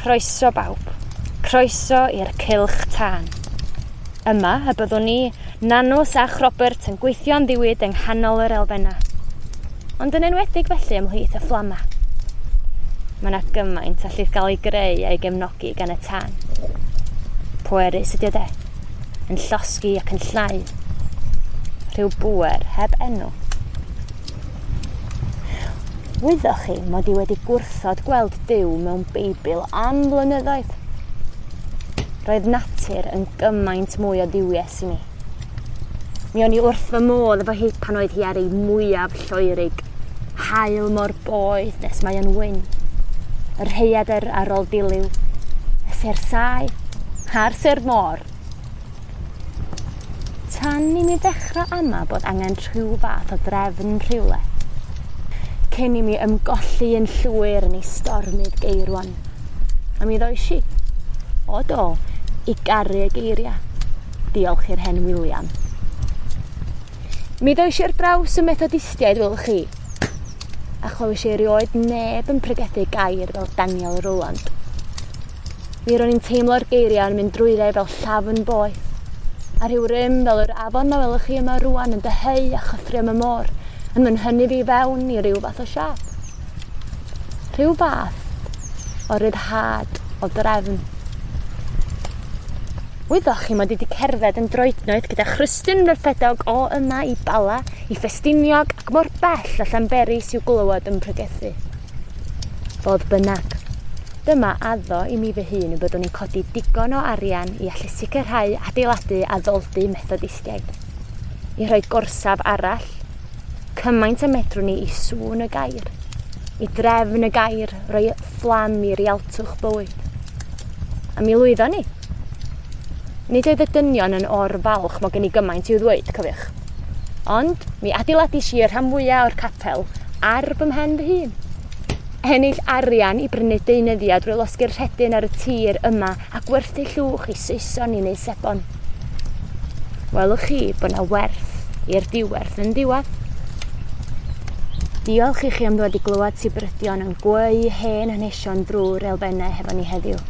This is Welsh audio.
Croeso bawb. Croeso i'r cylch tân. Yma y byddwn ni, Nanws a Robert yn gweithio'n ddiwyd yng nghanol yr elfennau. Ond yn enwedig felly ymhlith y fflama. Mae yna gymaint allith gael ei greu a'i gefnogi gan y tân. Pwerus ydy o de. Yn llosgi ac yn llnau. Rhyw bŵer heb enw. Wyddoch chi mod i wedi gwrthod gweld Duw mewn Beibl am flynyddoedd. Roedd natur yn gymaint mwy o dduwies i mi. Mi o'n i wrth fy modd efo hi pan oedd hi ar ei mwyaf lloerig. Haul mor boeth nes mae o'n wyn. Y rhaeadr ar ôl dilyw. Y sêr saeth a'r sêr môr. Tan i mi ddechrau ama bod angen rhyw fath o drefn rhywle. Cyn i mi ymgolli yn llwyr yn ei stormydd geirwon. A mi ddois i, o do, i garu y geiriau. Diolch i'r hen William. Mi ddois i ar draws y Methodistiaid, welwch chi. A chlywis i erioed neb yn pregethu gair fel Daniel Rowland. Mi ro'n i'n teimlo'r geiriau yn mynd drwydda i fel llafn boeth. A rhyw rym fel yr afon ma welwch chi yma rwan yn dyheu a chyffrio am y môr, yn fy nhynnu fi fewn i ryw fath o siâp. Rhyw fath o ryddhad o drefn. Wyddoch chi mod i wedi cerdded yn droednoeth gyda chrystyn rhyffedog o yma i Bala, i Ffestiniog ac mor bell a Llanberis i'w glywed yn pregethu. Fodd bynnag, dyma addo i mi fy hun y byddwn i'n codi digon o arian i allu sicrhau adeiladu addoldy Methodistiaid. I rhoi gorsaf arall, cymaint y medrwn ni i sŵn y gair, i drefn y gair, roi fflam i rialtwch bywyd. A mi lwyddon ni. Nid oedd y dynion yn or-falch mod gen i gymaint i'w ddweud, cofiwch. Ond mi adeiladais i y rhan fwyaf o'r capel ar fy mhen fy hun. Ennill arian i brynu deunyddiau drwy losgi'r rhedyn ar y tir yma a gwerthu llwch i Saeson i wneud sebon. Welwch chi bod 'na werth i'r diwerth yn diwedd. Diolch i chi am ddod i glywed sibrydion yn gweu hen hanesion drwy'r elfennau hefo ni heddiw.